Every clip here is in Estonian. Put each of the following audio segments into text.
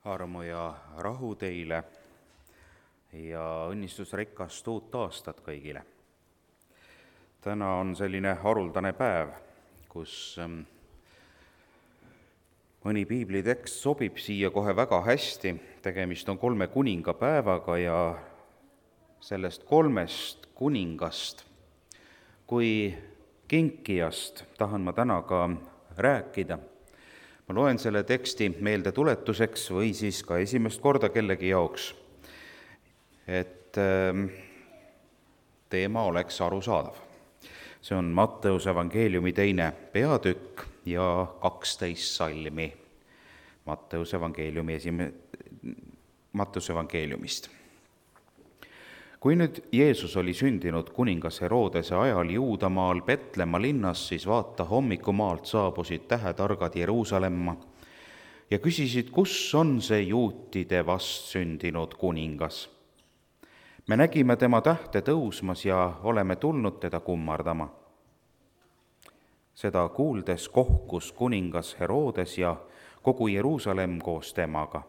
Armu ja rahu teile ja õnnistusrikast uut aastat kõigile. Täna on selline haruldane päev, kus mõni piiblitekst sobib siia kohe väga hästi. Tegemist on 3 kuningapäevaga ja sellest 3 kuningast kui kinkijast tahan ma täna ka rääkida. Ma loen selle teksti meeldetuletuseks või siis ka esimest korda kellegi jaoks, et teema oleks arusaadav. See on Matteuse evangeeliumi 2. peatükk ja 12 salmi Matteuse evangeeliumist. Kui nüüd Jeesus oli sündinud kuningas Herodese ajal Juudamaal Petlemma linnas, siis vaata, hommikumaalt saabusid tähetargad Jeruusalemma ja küsisid, kus on see juutide vastsündinud kuningas. Me nägime tema tähte tõusmas ja oleme tulnud teda kummardama. Seda kuuldes kohkus kuningas Herodes ja kogu Jeruusalemm koos temaga.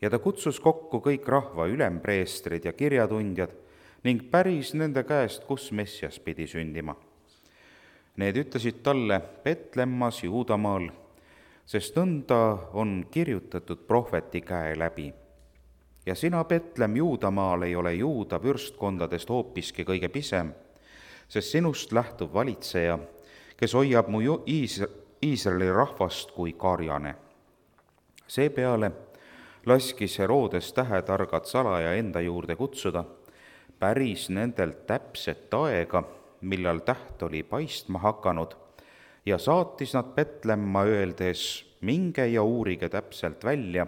Ja ta kutsus kokku kõik rahva ülempreestrid ja kirjatundjad ning päris nende käest, kus Messias pidi sündima. Need ütlesid talle Petlemmas Juudamaal, sest nõnda on kirjutatud prohveti käe läbi. Ja sina, Petlemm Juudamaal, ei ole Juuda vürstkondadest hoopiski kõige pisem, sest sinust lähtub valitseja, kes hoiab mu Iisraeli rahvast kui karjane. Seepeale laskis Herodes tähetargad salaja enda juurde kutsuda, päris nendelt täpset aega, millal täht oli paistma hakanud, ja saatis nad Petlemma öeldes, minge ja uurige täpselt välja,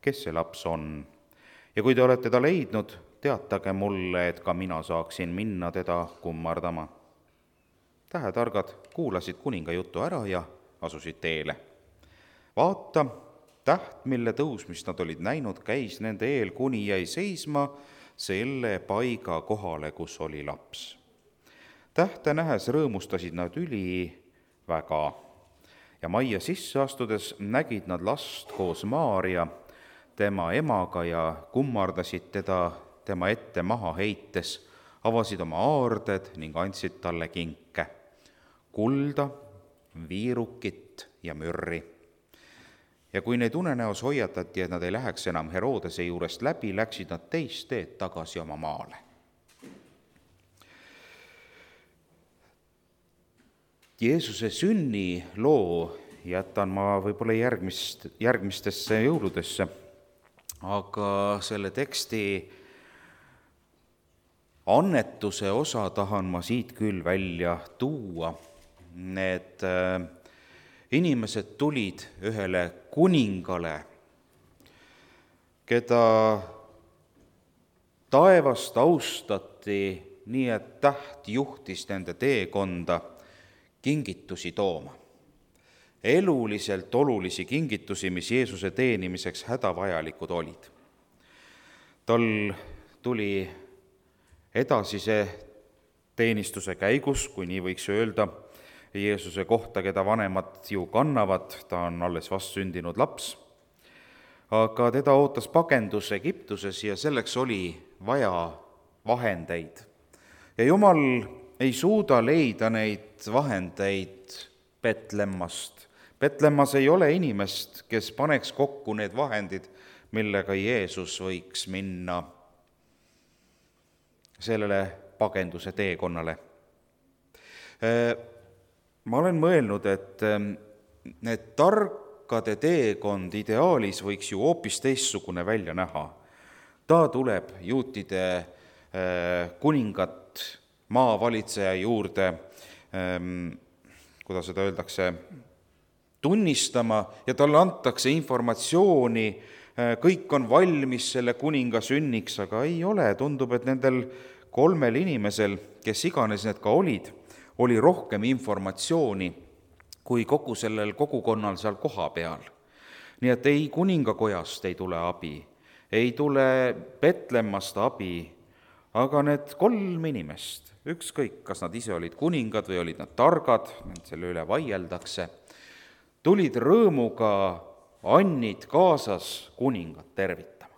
kes see laps on. Ja kui te olete ta leidnud, teatage mulle, et ka mina saaksin minna teda kummardama. Tähetargad kuulasid kuninga jutu ära ja asusid teele. Vaata, täht, mille tõusmist nad olid näinud, käis nende eel, kuni jäi seisma selle paiga kohale, kus oli laps. Tähte nähes rõõmustasid nad väga ja majja sisse astudes nägid nad last koos Maaria, tema emaga, ja kummardasid teda tema ette maha heites, avasid oma aarded ning andsid talle kinke, kulda, viirukit ja mürri. Ja kui neid unenäos hoiatati, et nad ei läheks enam Herodese juurest läbi, läksid nad teist teed tagasi oma maale. Jeesuse sünniloo jätan ma võib-olla järgmistesse jõuludesse, aga selle teksti annetuse osa tahan ma siit küll välja tuua. Need inimesed tulid ühele kuningale, keda taevast austati nii, et täht juhtis nende teekonda kingitusi tooma. Eluliselt olulisi kingitusi, mis Jeesuse teenimiseks hädavajalikud olid. Tal tuli edasise teenistuse käigus, kui nii võiks öelda, Jeesuse kohta, keda vanemad ju kannavad, ta on alles vastsündinud laps, aga teda ootas pagendus Egiptuses ja selleks oli vaja vahendeid. Ja Jumal ei suuda leida neid vahendeid Petlemmast. Petlemmas ei ole inimest, kes paneks kokku need vahendid, millega Jeesus võiks minna sellele pagenduse teekonnale. Ma olen mõelnud, et need tarkade teekond ideaalis võiks ju hoopis teistsugune välja näha. Ta tuleb juutide kuningat maavalitseja juurde, kuidas seda öeldakse, tunnistama ja talle antakse informatsiooni, kõik on valmis selle kuninga sünniks, aga ei ole. Tundub, et nendel 3 inimesel, kes iganes need ka olid, oli rohkem informatsiooni kui kogu sellel kogukonnal seal koha peal. Nii et ei kuningakojast ei tule abi, ei tule Petlemmast abi, aga need 3 inimest, ükskõik, kas nad ise olid kuningad või olid nad targad, selle üle vaieldakse, tulid rõõmuga annid kaasas kuningat tervitama.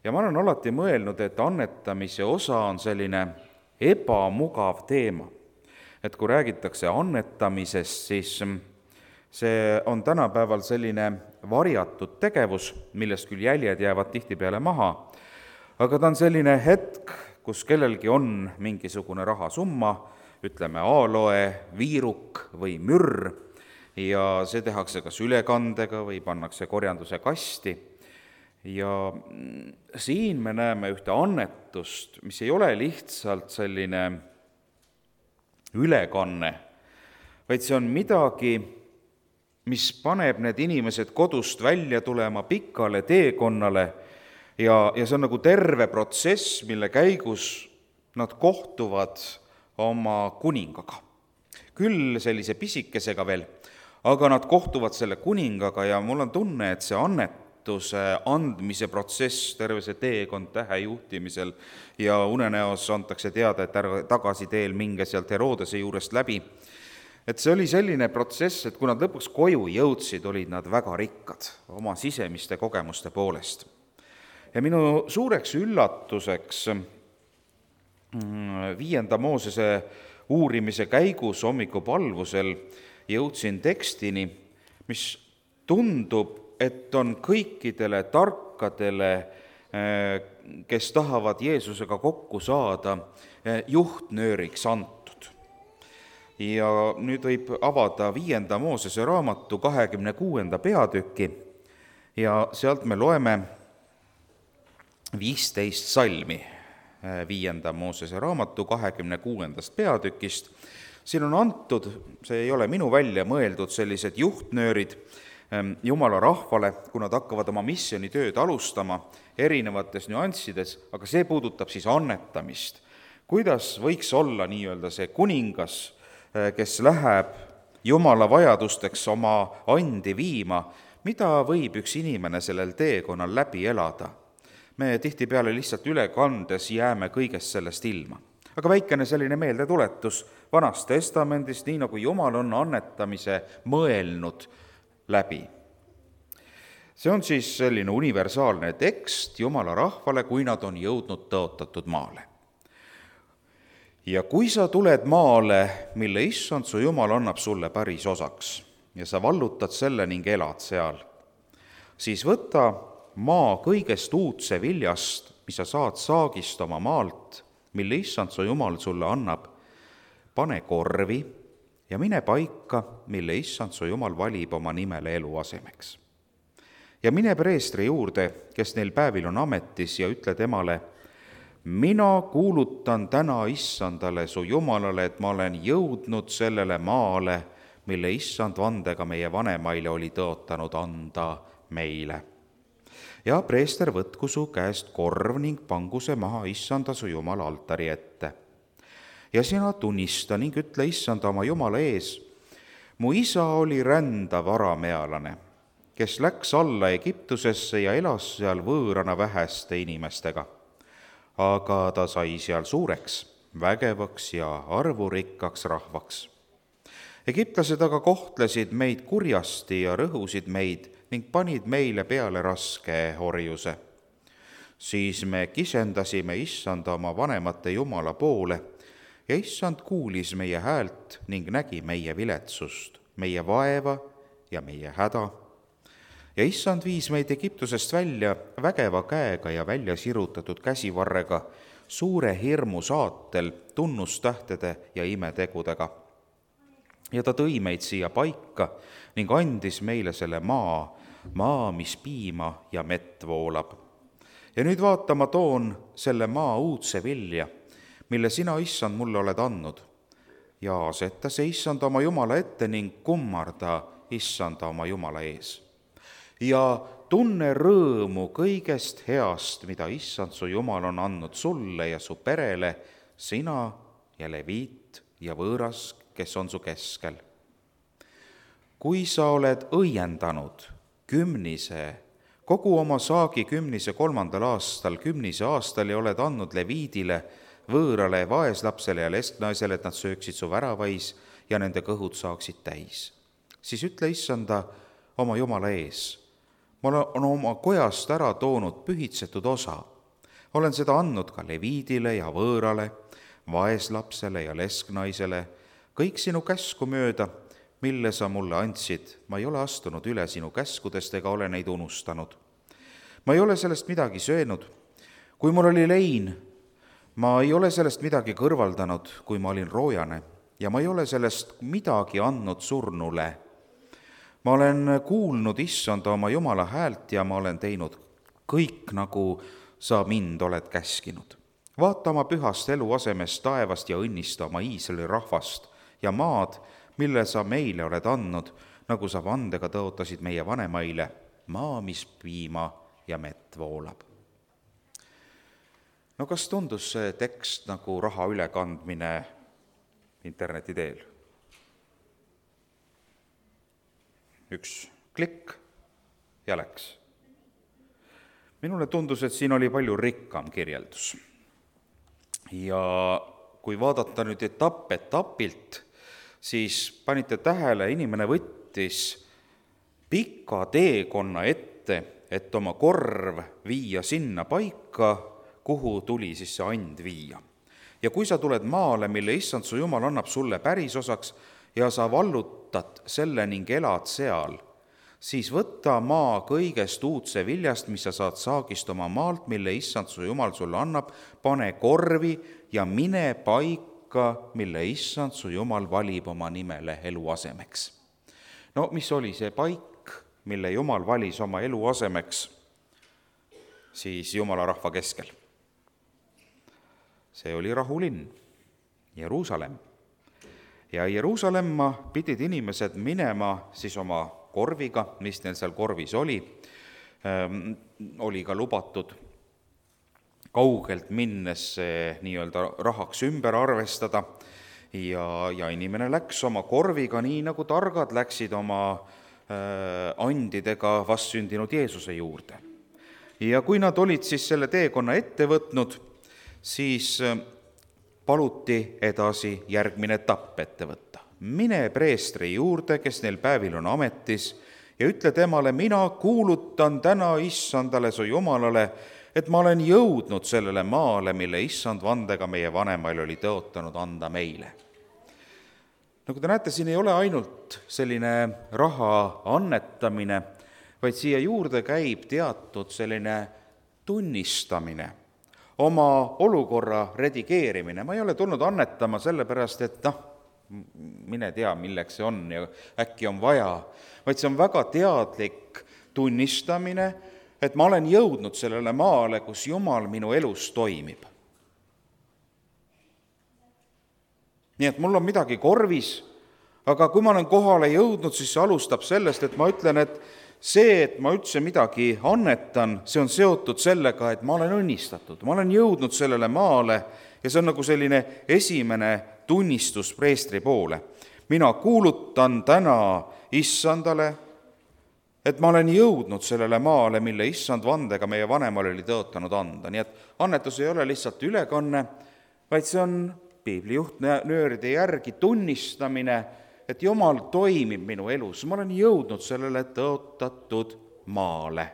ja ma olen alati mõelnud, et annetamise osa on selline ebamugav teema. et kui räägitakse annetamisest, siis see on tänapäeval selline varjatud tegevus, millest küll jäljed jäävad tihtipeale maha, aga ta on selline hetk, kus kellelgi on mingisugune rahasumma, ütleme aloe, viiruk või mürr, ja see tehakse kas ülekandega või pannakse korjanduse kasti. ja siin me näeme ühte annetust, mis ei ole lihtsalt selline ülekanne, vaid see on midagi, mis paneb need inimesed kodust välja tulema pikale teekonnale ja see on nagu terve protsess, mille käigus nad kohtuvad oma kuningaga. Küll sellise pisikesega veel, aga nad kohtuvad selle kuningaga ja mul on tunne, et see annetuse andmise protsess, terve see teekond tähe juhtimisel ja unenäos antakse teada, et ära tagasi teel minge sealt Herodese juurest läbi. Et see oli selline protsess, et kui nad lõpuks koju jõudsid, olid nad väga rikkad oma sisemiste kogemuste poolest. Ja minu suureks üllatuseks 5. Moosese uurimise käigus hommikupalvusel jõudsin tekstini, mis tundub, et on kõikidele tarkadele, kes tahavad Jeesusega kokku saada, juhtnööriks antud. Ja nüüd võib avada 5. Moosese raamatu 26. peatüki ja sealt me loeme 15 salmi 5. Moosese raamatu 26. peatükist. Siin on antud, see ei ole minu välja mõeldud, sellised juhtnöörid Jumala rahvale, kui nad hakkavad oma missioonitööd alustama erinevates nüanssides, aga see puudutab siis annetamist. Kuidas võiks olla nii-öelda see kuningas, kes läheb Jumala vajadusteks oma andi viima, mida võib üks inimene sellel teekonnal läbi elada? Me tihtipeale lihtsalt ülekandes jääme kõigest sellest ilma. Aga väikene selline meeldetuletus Vanast Testamendist, nii nagu Jumal on annetamise mõelnud läbi. See on siis selline universaalne tekst Jumala rahvale, kui nad on jõudnud tõotatud maale. Ja kui sa tuled maale, mille Issand su Jumal annab sulle päris osaks ja sa vallutad selle ning elad seal, siis võta maa kõigest uudse viljast, mis sa saad saagist oma maalt, mille Issand su Jumal sulle annab, pane korvi ja mine paika, mille Issand su Jumal valib oma nimele eluasemeks. Ja mine preestri juurde, kes neil päevil on ametis, ja ütle temale, mina kuulutan täna Issandale su Jumalale, et ma olen jõudnud sellele maale, mille Issand vandega meie vanemaile oli tõotanud anda meile. Ja preester võtku su käest korv ning pangu see maha Issanda su Jumala altari ette. Ja sina tunnista ning ütle Issanda oma Jumala ees, mu isa oli rändav aramealane, kes läks alla Egiptusesse ja elas seal võõrana väheste inimestega. Aga ta sai seal suureks, vägevaks ja arvurikkaks rahvaks. Egiptlased aga kohtlesid meid kurjasti ja rõhusid meid ning panid meile peale raske orjuse. Siis me kisendasime Issanda oma vanemate Jumala poole ja Issand kuulis meie häält ning nägi meie viletsust, meie vaeva ja meie häda. Ja Issand viis meid Egiptusest välja vägeva käega ja välja sirutatud käsivarrega, suure hirmu saatel, tunnustähtede ja imetegudega. Ja ta tõi meid siia paika ning andis meile selle maa, mis piima ja mett voolab. Ja nüüd vaata, ma toon selle maa uudse vilja, mille sina, Issand, mulle oled andnud. Ja aseta see Issand oma Jumala ette ning kummarda Issanda oma Jumala ees. Ja tunne rõõmu kõigest heast, mida Issand su Jumal on andnud sulle ja su perele, sina ja leviit ja võõras, kes on su keskel. Kui sa oled õiendanud kümnise, kogu oma saagi 10. 3. aastal, 10. aastal ja oled andnud leviidile, võõrale, vaeslapsele ja lesknaisele, et nad sööksid su väravais ja nende kõhud saaksid täis, siis ütle Issanda oma Jumala ees. Ma olen oma kojast ära toonud pühitsetud osa. Olen seda andnud ka leviidile ja võõrale, vaeslapsele ja lesknaisele, kõik sinu käsku mööda, mille sa mulle andsid. Ma ei ole astunud üle sinu käskudest ega ole neid unustanud. Ma ei ole sellest midagi söönud. Kui mul oli lein, ma ei ole sellest midagi kõrvaldanud, kui ma olin roojane, ja ma ei ole sellest midagi andnud surnule. Ma olen kuulnud issanda oma Jumala häält ja ma olen teinud kõik, nagu sa mind oled käskinud. Vaata oma pühast eluasemest taevast ja õnnista oma Iisraeli rahvast ja maad, mille sa meile oled andnud, nagu sa vandega tõotasid meie vanemaile, maa, mis piima ja mett voolab. No kas tundus see tekst nagu raha ülekandmine interneti teel? Üks klikk ja läks. Minule tundus, et siin oli palju rikkam kirjeldus. Ja kui vaadata nüüd etapilt, siis panite tähele, inimene võttis pika teekonna ette, et oma korv viia sinna paika, kuhu tuli siis see and viia. Ja kui sa tuled maale, mille issand su Jumal annab sulle pärisosaks ja sa vallutad selle ning elad seal, siis võta maa kõigest uudse viljast, mis sa saad saagist oma maalt, mille issand su Jumal sulle annab, pane korvi ja mine paika, mille issand su Jumal valib oma nimele eluasemeks. No mis oli see paik, mille Jumal valis oma eluasemeks siis Jumala rahva keskel? See oli rahulinn, Jeruusalemm. Ja Jeruusalemma pidid inimesed minema siis oma korviga, mis neil seal korvis oli ka lubatud kaugelt minnes nii-öelda rahaks ümber arvestada ja inimene läks oma korviga nii, nagu targad läksid oma andidega vastsündinud Jeesuse juurde. Ja kui nad olid siis selle teekonna ette võtnud, siis paluti edasi järgmine etapp ette võtta. Mine preestri juurde, kes neil päevil on ametis, ja ütle temale, mina kuulutan täna issandale su Jumalale, et ma olen jõudnud sellele maale, mille issand vandega meie vanemail oli tõotanud anda meile. Nagu te näete, siin ei ole ainult selline raha annetamine, vaid siia juurde käib teatud selline tunnistamine, oma olukorra redigeerimine. Ma ei ole tulnud annetama sellepärast, et mine tea, milleks see on ja äkki on vaja, vaid see on väga teadlik tunnistamine, et ma olen jõudnud sellele maale, kus Jumal minu elus toimib. Nii et mul on midagi korvis, aga kui ma olen kohale jõudnud, siis see alustab sellest, et ma ütlen, et see, et ma üldse midagi annetan, see on seotud sellega, et ma olen õnnistatud, ma olen jõudnud sellele maale ja see on nagu selline esimene tunnistus preestri poole. Mina kuulutan täna issandale, et ma olen jõudnud sellele maale, mille issand vandega meie vanemal oli tõotanud anda. Nii et annetus ei ole lihtsalt ülekanne, vaid see on piibli juhtnööride järgi tunnistamine, et Jumal toimib minu elus, ma olen jõudnud sellele tõotatud maale.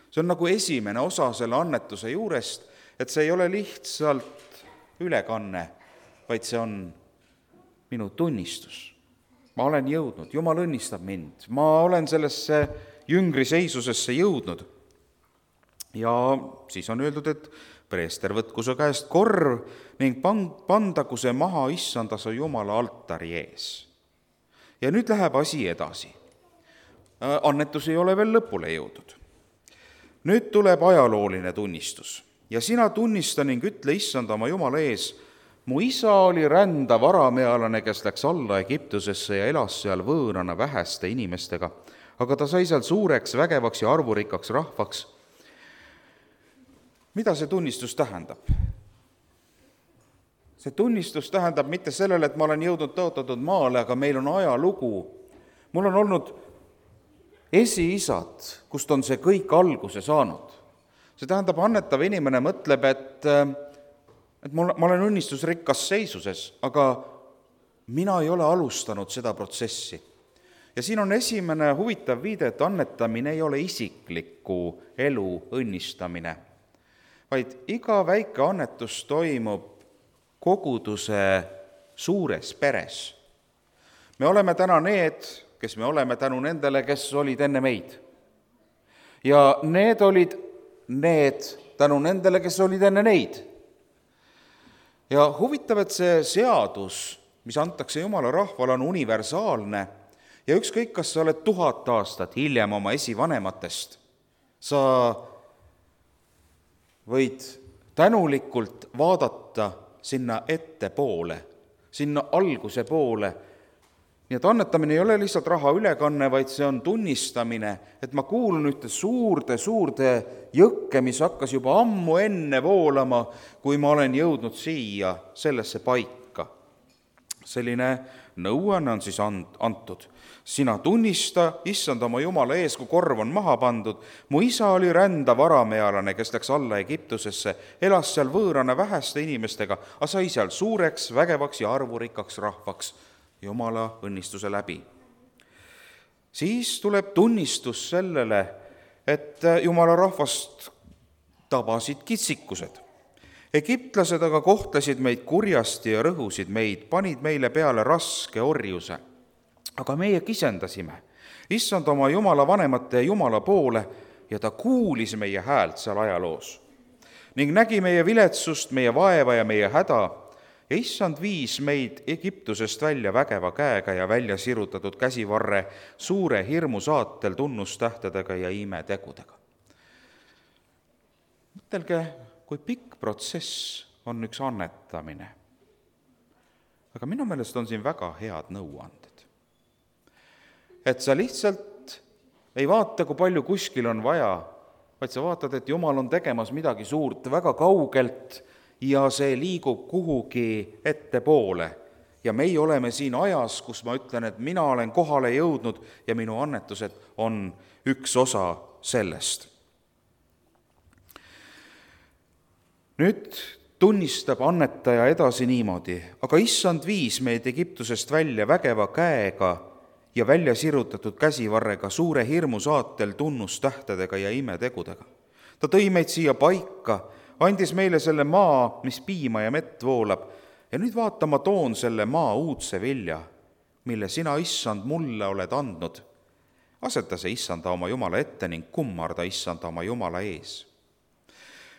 See on nagu esimene osa selle annetuse juurest, et see ei ole lihtsalt ülekanne, vaid see on minu tunnistus. Ma olen jõudnud, Jumal õnnistab mind, ma olen sellesse jüngri seisusesse jõudnud. Ja siis on öeldud, et preester võtku su käest korv ning pandagu see maha issanda su Jumala altari ees. Ja nüüd läheb asi edasi. Annetus ei ole veel lõpule jõudnud. Nüüd tuleb ajalooline tunnistus. Ja sina tunnista ning ütle issanda oma Jumala ees, mu isa oli rändav aramealane, kes läks alla Egiptusesse ja elas seal võõrana väheste inimestega, aga ta sai seal suureks, vägevaks ja arvurikkaks rahvaks. Mida see tunnistus tähendab? See tunnistus tähendab mitte sellele, et ma olen jõudnud tõotatud maale, aga meil on ajalugu. Mul on olnud esiisad, kust on see kõik alguse saanud. See tähendab, annetav inimene mõtleb, et ma olen õnnistusrikkas seisuses, aga mina ei ole alustanud seda protsessi. Ja siin on esimene huvitav viide, et annetamine ei ole isikliku elu õnnistamine, vaid iga väike annetus toimub koguduse suures peres. Me oleme täna need, kes me oleme tänu nendele, kes olid enne meid. Ja need olid need tänu nendele, kes olid enne neid. Ja huvitav, et see seadus, mis antakse Jumala rahvale, on universaalne ja ükskõik, kas sa oled 1000 aastat hiljem oma esivanematest, sa võid tänulikult vaadata sinna ettepoole, sinna alguse poole. Nii et annetamine ei ole lihtsalt raha ülekanne, vaid see on tunnistamine, et ma kuulun ühte suurde jõkke, mis hakkas juba ammu enne voolama, kui ma olen jõudnud siia sellesse paika. Selline nõuanne on siis antud. Sina tunnista, issand oma Jumala ees, kui korv on maha pandud. Mu isa oli rändav aramealane, kes läks alla Egiptusesse, elas seal võõrana väheste inimestega, aga sai seal suureks, vägevaks ja arvurikkaks rahvaks Jumala õnnistuse läbi. Siis tuleb tunnistus sellele, et Jumala rahvast tabasid kitsikused. Egiptlased aga kohtlesid meid kurjasti ja rõhusid meid, panid meile peale raske orjuse. Aga meie kisendasime issand oma Jumala vanemate ja Jumala poole ja ta kuulis meie häält seal ajaloos ning nägi meie viletsust, meie vaeva ja meie häda ja issand viis meid Egiptusest välja vägeva käega ja välja sirutatud käsivarre suure hirmu saatel tunnustähtedega ja imetegudega. Mõtelge, kui pikk protsess on üks annetamine. Aga minu meelest on siin väga head nõuanded. Et sa lihtsalt ei vaata, kui palju kuskil on vaja, vaid sa vaatad, et Jumal on tegemas midagi suurt väga kaugelt ja see liigub kuhugi ettepoole. Ja meie oleme siin ajas, kus ma ütlen, et mina olen kohale jõudnud ja minu annetused on üks osa sellest. Nüüd tunnistab annetaja edasi niimoodi, aga issand viis meid Egiptusest välja vägeva käega ja välja sirutatud käsivarrega suure hirmu saatel tunnustähtedega ja imetegudega. Ta tõi meid siia paika, andis meile selle maa, mis piima ja mett voolab, ja nüüd vaata, ma toon selle maa uudse vilja, mille sina, issand, mulle oled andnud. Aseta see issanda oma Jumala ette ning kummarda issanda oma Jumala ees.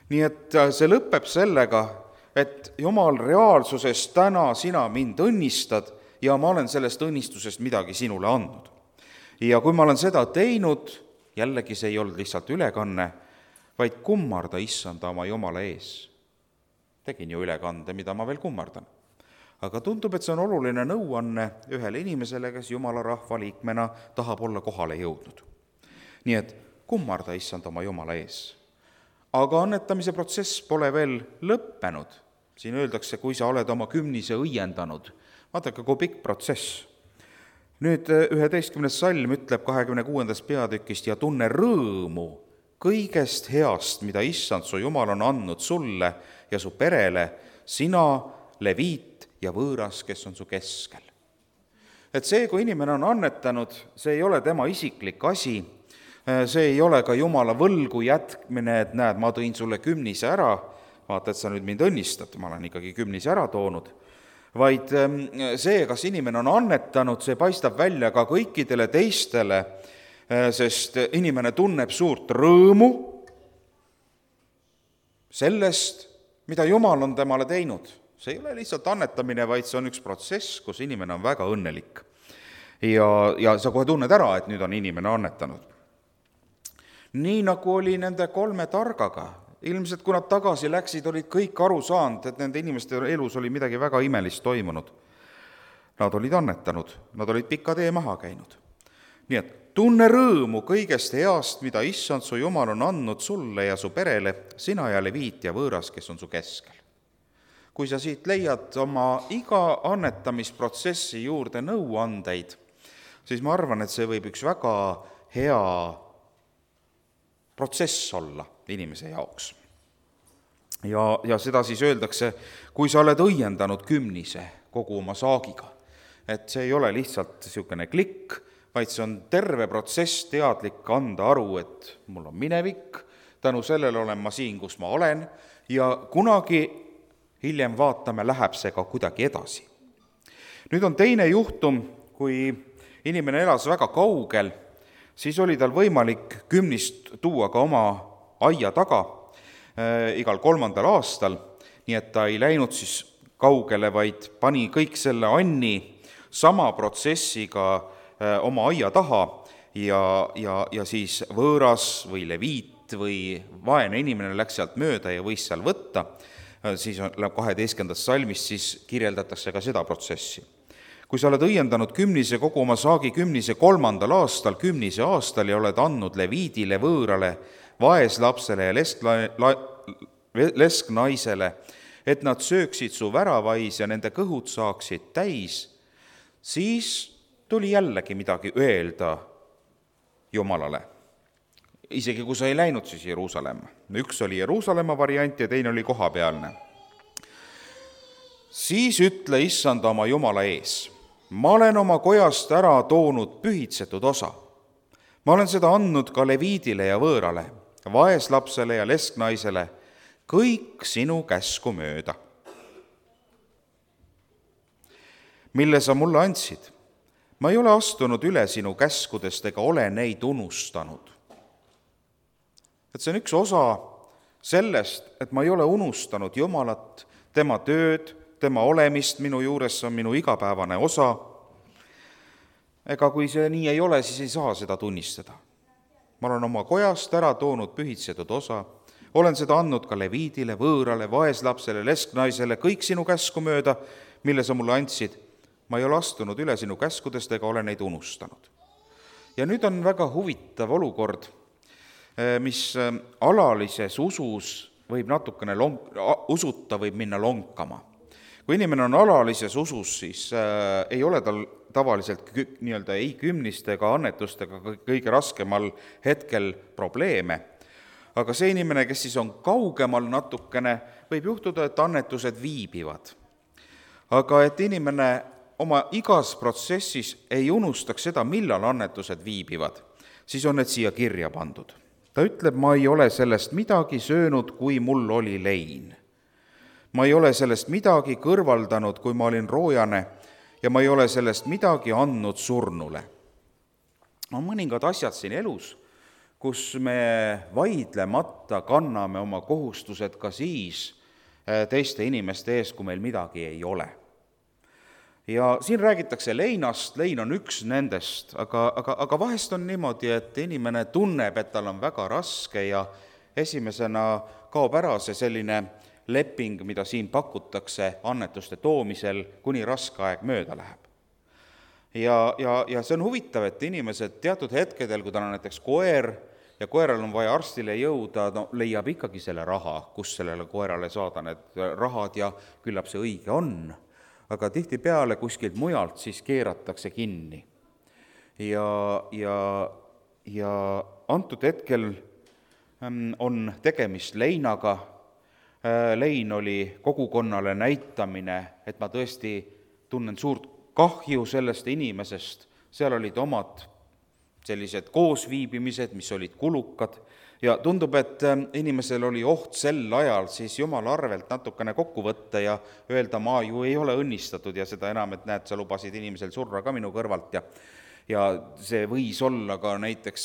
Nii et see lõpeb sellega, et Jumal reaalsuses täna sina mind õnnistad ja ma olen sellest õnnistusest midagi sinule andnud. Ja kui ma olen seda teinud, jällegi see ei olnud lihtsalt ülekanne, vaid kummarda issanda oma Jumala ees. Tegin ju ülekande, mida ma veel kummardan. Aga tundub, et see on oluline nõuanne ühele inimesele, kes Jumala rahva liikmena tahab olla kohale jõudnud. Nii et kummarda issand oma Jumala ees. Aga annetamise protsess pole veel lõppenud. Siin öeldakse, kui sa oled oma kümnise õiendanud. Vaadake, kui pikk protsess. Nüüd 11. salm ütleb 26. peatükist ja tunne rõõmu kõigest heast, mida issand su Jumal on andnud sulle ja su perele, sina, leviit ja võõras, kes on su keskel. Et see, kui inimene on annetanud, see ei ole tema isiklik asi, see ei ole ka Jumala võlgu jätkmine, et näed, ma tõin sulle kümnise ära, vaata, et sa nüüd mind õnnistad, ma olen ikkagi kümnise ära toonud, vaid see, kas inimene on annetanud, see paistab välja ka kõikidele teistele, sest inimene tunneb suurt rõõmu sellest, mida Jumal on temale teinud. See ei ole lihtsalt annetamine, vaid see on üks protsess, kus inimene on väga õnnelik. Ja sa kohe tunned ära, et nüüd on inimene annetanud. Nii nagu oli nende 3 targaga. Ilmselt, kui nad tagasi läksid, olid kõik aru saanud, et nende inimeste elus oli midagi väga imelist toimunud. Nad olid annetanud, nad olid pika tee maha käinud. Nii et tunne rõõmu kõigest heast, mida issand su Jumal on andnud sulle ja su perele, sina ja leviit ja võõras, kes on su keskel. Kui sa siit leiad oma iga annetamisprotsessi juurde nõuandeid, siis ma arvan, et see võib üks väga hea protsess olla inimese jaoks. Ja seda siis öeldakse, kui sa oled õiendanud kümnise kogu oma saagiga. Et see ei ole lihtsalt niisugune klikk, vaid see on terve protsess teadlik anda aru, et mul on minevik, tänu sellele olen ma siin, kus ma olen, ja kunagi hiljem vaatame, läheb see ka kuidagi edasi. Nüüd on teine juhtum, kui inimene elas väga kaugel, siis oli tal võimalik kümnist tuua ka oma aia taga igal 3. aastal, nii et ta ei läinud siis kaugele, vaid pani kõik selle anni sama protsessiga oma aia taha ja siis võõras või leviit või vaene inimene läks sealt mööda ja võis seal võtta, siis 12. salmist siis kirjeldatakse ka seda protsessi. Kui sa oled õiendanud kümnise kogu oma saagi kümnise 3. aastal, kümnise aastal ja oled andnud leviidile, võõrale, vaeslapsele ja lesknaisele, et nad sööksid su väravais ja nende kõhud saaksid täis, siis tuli jällegi midagi öelda Jumalale. Isegi kui sa ei läinud siis Jeruusalemma. Üks oli Jeruusalemma variant ja teine oli kohapealne. Siis ütle issanda oma Jumala ees, ma olen oma kojast ära toonud pühitsetud osa. Ma olen seda andnud ka leviidile ja võõrale, vaeslapsele ja lesknaisele, kõik sinu käsku mööda, mille sa mulle andsid. Ma ei ole astunud üle sinu käskudest ega ole neid unustanud. Et see on üks osa sellest, et ma ei ole unustanud Jumalat, tema tööd, tema olemist minu juures, see on minu igapäevane osa. Ega kui see nii ei ole, siis ei saa seda tunnistada. Ma olen oma kojast ära toonud pühitsetud osa, olen seda andnud ka leviidile, võõrale, vaeslapsele, lesknaisele, kõik sinu käsku mööda, mille sa mulle andsid. Ma ei ole astunud üle sinu käskudest ega ole neid unustanud. Ja nüüd on väga huvitav olukord, mis alalises usus võib natukene usuta võib minna lonkama. Kui inimene on alalises usus, siis ei ole tal tavaliselt ei kümniste ega annetustega kõige raskemal hetkel probleeme. Aga see inimene, kes siis on kaugemal natukene, võib juhtuda, et annetused viibivad. Aga et inimene oma igas protsessis ei unustaks seda, millal annetused viibivad, siis on need siia kirja pandud. Ta ütleb, ma ei ole sellest midagi söönud, kui mul oli lein. Ma ei ole sellest midagi kõrvaldanud, kui ma olin roojane, ja ma ei ole sellest midagi andnud surnule. On mõningad asjad siin elus, kus me vaidlemata kanname oma kohustused ka siis teiste inimeste ees, kui meil midagi ei ole. Ja siin räägitakse leinast, lein on üks nendest, aga vahest on niimoodi, et inimene tunneb, et tal on väga raske ja esimesena kaob ära see selline leping, mida siin pakutakse annetuste toomisel, kuni raske aeg mööda läheb. Ja see on huvitav, et inimesed teatud hetkedel, kui tal on näiteks koer ja koeral on vaja arstile jõuda, leiab ikkagi selle raha, kus sellele koerale saada need rahad ja küllap see õige on. Aga tihtipeale kuskilt mujalt siis keeratakse kinni. Ja antud hetkel on tegemist leinaga. Lein oli kogukonnale näitamine, et ma tõesti tunnen suurt kahju sellest inimesest. Seal olid omad sellised koosviibimised, mis olid kulukad. Ja tundub, et inimesel oli oht sel ajal siis Jumala arvelt natukene kokku võtta ja öelda, ma ju ei ole õnnistatud ja seda enam, et näed, sa lubasid inimesel surra ka minu kõrvalt. Ja see võis olla ka näiteks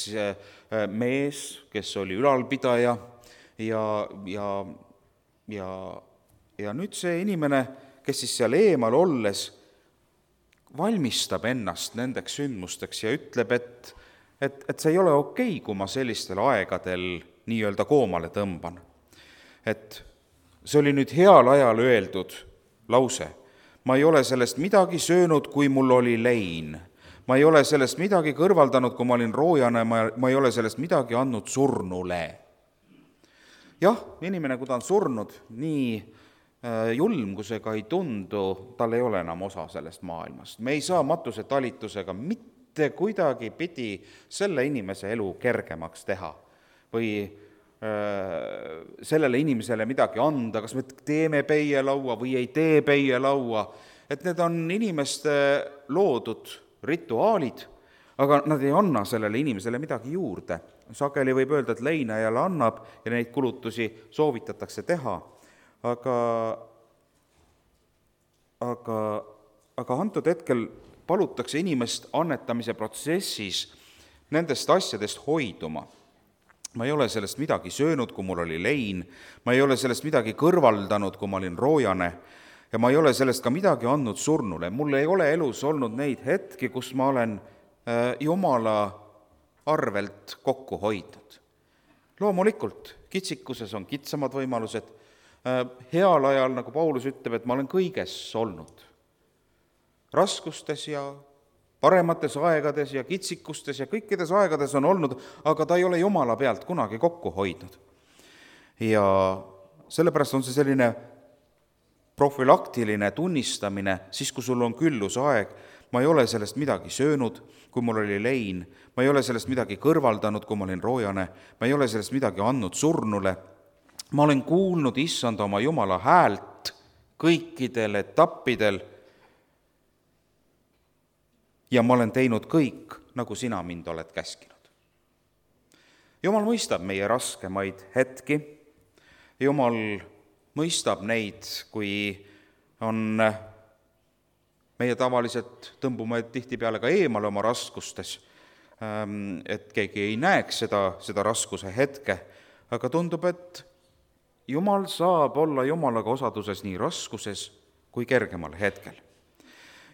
mees, kes oli ülalpidaja ja nüüd see inimene, kes siis seal eemal olles valmistab ennast nendeks sündmusteks ja ütleb, et see ei ole okei, kui ma sellistel aegadel nii-öelda koomale tõmban. Et see oli nüüd heal ajal öeldud lause. Ma ei ole sellest midagi söönud, kui mul oli lein. Ma ei ole sellest midagi kõrvaldanud, kui ma olin roojane, ma ei ole sellest midagi andnud surnule. Jah, inimene, kui ta on surnud, nii julm, kui see ka ei tundu, tal ei ole enam osa sellest maailmast. Me ei saa matuse talitusega mitte kuidagi pidi selle inimese elu kergemaks teha või sellele inimesele midagi anda, kas me teeme peielaua või ei tee peielaua, et need on inimeste loodud rituaalid, aga nad ei anna sellele inimesele midagi juurde. Sageli võib öelda, et leinajale annab ja neid kulutusi soovitatakse teha, aga antud hetkel palutakse inimest annetamise protsessis nendest asjadest hoiduma. Ma ei ole sellest midagi söönud, kui mul oli lein, ma ei ole sellest midagi kõrvaldanud, kui ma olin roojane, ja ma ei ole sellest ka midagi andnud surnule. Mul ei ole elus olnud neid hetki, kus ma olen Jumala arvelt kokku hoidnud. Loomulikult, kitsikuses on kitsamad võimalused. Heal ajal, nagu Paulus ütleb, et ma olen kõiges olnud. Raskustes ja paremates aegades ja kitsikustes ja kõikides aegades on olnud, aga ta ei ole Jumala pealt kunagi kokku hoidnud. Ja sellepärast on see selline profülaktiline tunnistamine, siis kui sul on küllusaeg, ma ei ole sellest midagi söönud, kui mul oli lein, ma ei ole sellest midagi kõrvaldanud, kui ma olin roojane, ma ei ole sellest midagi andnud surnule, ma olen kuulnud issanda oma Jumala häält kõikidel etappidel ja ma olen teinud kõik, nagu sina mind oled käskinud. Jumal mõistab meie raskemaid hetki, Jumal mõistab neid, kui on meie tavaliselt tõmbume tihtipeale ka eemale oma raskustes, et keegi ei näeks seda raskuse hetke, aga tundub, et Jumal saab olla Jumalaga osaduses nii raskuses kui kergemal hetkel.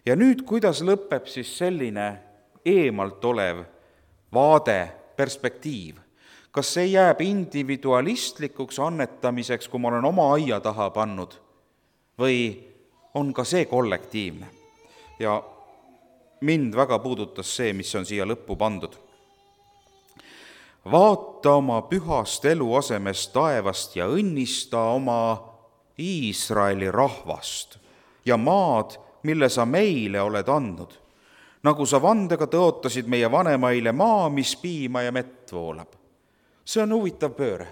Ja nüüd, kuidas lõpeb siis selline eemalt olev vaade, perspektiiv? Kas see jääb individualistlikuks annetamiseks, kui ma olen oma aia taha pannud, või on ka see kollektiivne? Ja mind väga puudutas see, mis on siia lõppu pandud. Vaata oma pühast eluasemest taevast ja õnnista oma Iisraeli rahvast ja maad, mille sa meile oled andnud, nagu sa vandega tõotasid meie vanemaile maa, mis piima ja mett voolab. See on huvitav pööre.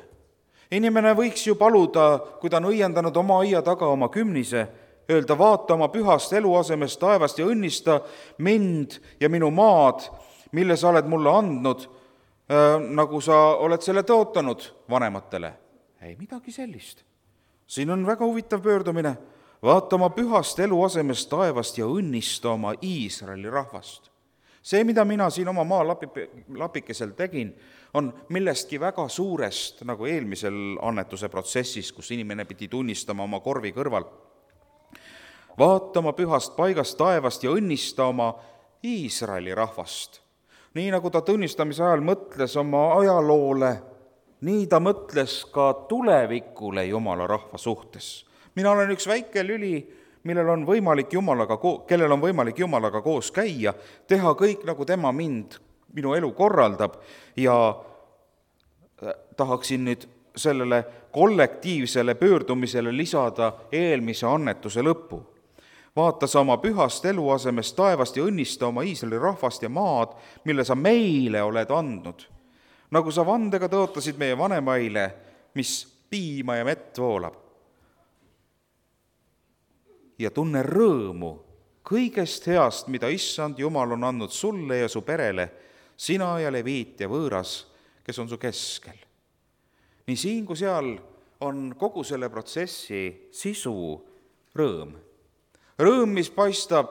Inimene võiks ju paluda, kui ta on õiendanud oma aia taga oma kümnise, öelda, vaata oma pühast eluasemest taevast ja õnnista mind ja minu maad, mille sa oled mulle andnud, nagu sa oled selle tõotanud vanematele. Ei midagi sellist. Siin on väga huvitav pöördumine. Vaata oma pühast eluasemest taevast ja õnnista oma Iisraeli rahvast. See, mida mina siin oma maalapikesel tegin, on millestki väga suurest, nagu eelmisel annetuse protsessis, kus inimene pidi tunnistama oma korvi kõrval. Vaata oma pühast paigast taevast ja õnnista oma Iisraeli rahvast. Nii nagu ta tunnistamise ajal mõtles oma ajaloole, nii ta mõtles ka tulevikule Jumala rahva suhtes. Mina olen üks väike lüli, kellel on võimalik Jumalaga koos käia, teha kõik, nagu tema minu elu korraldab, ja tahaksin nüüd sellele kollektiivsele pöördumisele lisada eelmise annetuse lõppu. Vaata sa oma pühast eluasemest taevast ja õnnista oma Iisraeli rahvast ja maad, mille sa meile oled andnud. Nagu sa vandega tõotasid meie vanemaile, mis piima ja mett voolab. Ja tunne rõõmu kõigest heast, mida issand Jumal on andnud sulle ja su perele, sina ja leviit ja võõras, kes on su keskel. Nii siin kui seal on kogu selle protsessi sisu rõõm. Rõõm, mis paistab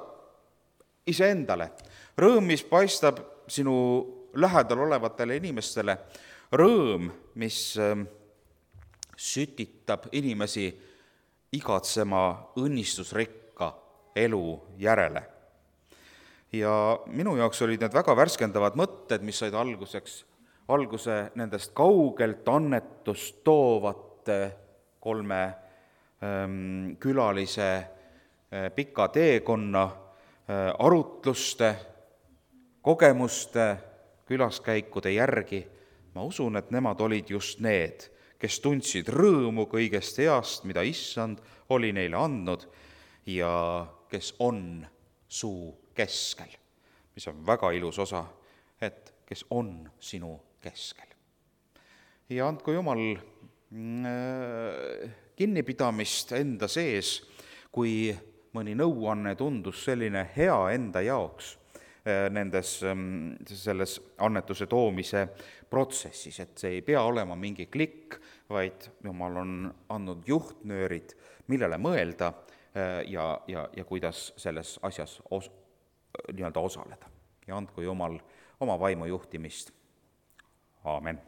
iseendale, rõõm, mis paistab sinu lähedal olevatele inimestele, rõõm, mis sütitab inimesi igatsema õnnistusrikka elu järele. Ja minu jaoks olid need väga värskendavad mõtted, mis said alguse nendest kaugelt annetust toovate 3 külalise pika teekonna arutluste, kogemuste, külaskäikude järgi. Ma usun, et nemad olid just need, kes tundsid rõõmu kõigest heast, mida issand oli neile andnud ja kes on su keskel, mis on väga ilus osa, et kes on sinu keskel. Ja andku Jumal kinnipidamist enda sees, kui mõni nõuanne tundus selline hea enda jaoks, nendes, selles annetuse toomise protsessis, et see ei pea olema mingi klikk, vaid Jumal on andnud juhtnöörid, millele mõelda ja kuidas selles asjas nii-öelda osaleda. Ja andku Jumal oma vaimu juhtimist. Aamen.